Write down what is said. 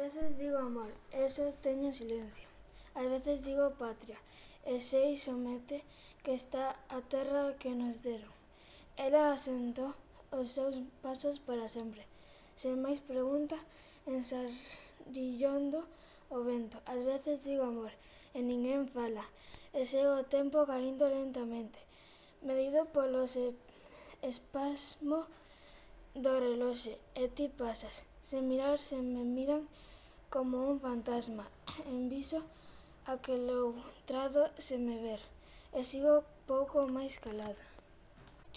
Veces digo amor, e só teño silencio. Ás veces digo patria, e sei somente que está a terra que nos deron. Ela asentou os seus pasos para sempre, sen máis pregunta, ensarillando o vento. Ás veces digo amor, e ninguén fala, e segue o tempo caindo lentamente, medido polo espasmo do reloxe, e ti pasas, sen mirar, sen me miran, como un fantasma, enviso a que loutrado sen me ver, e sigo pouco máis calada.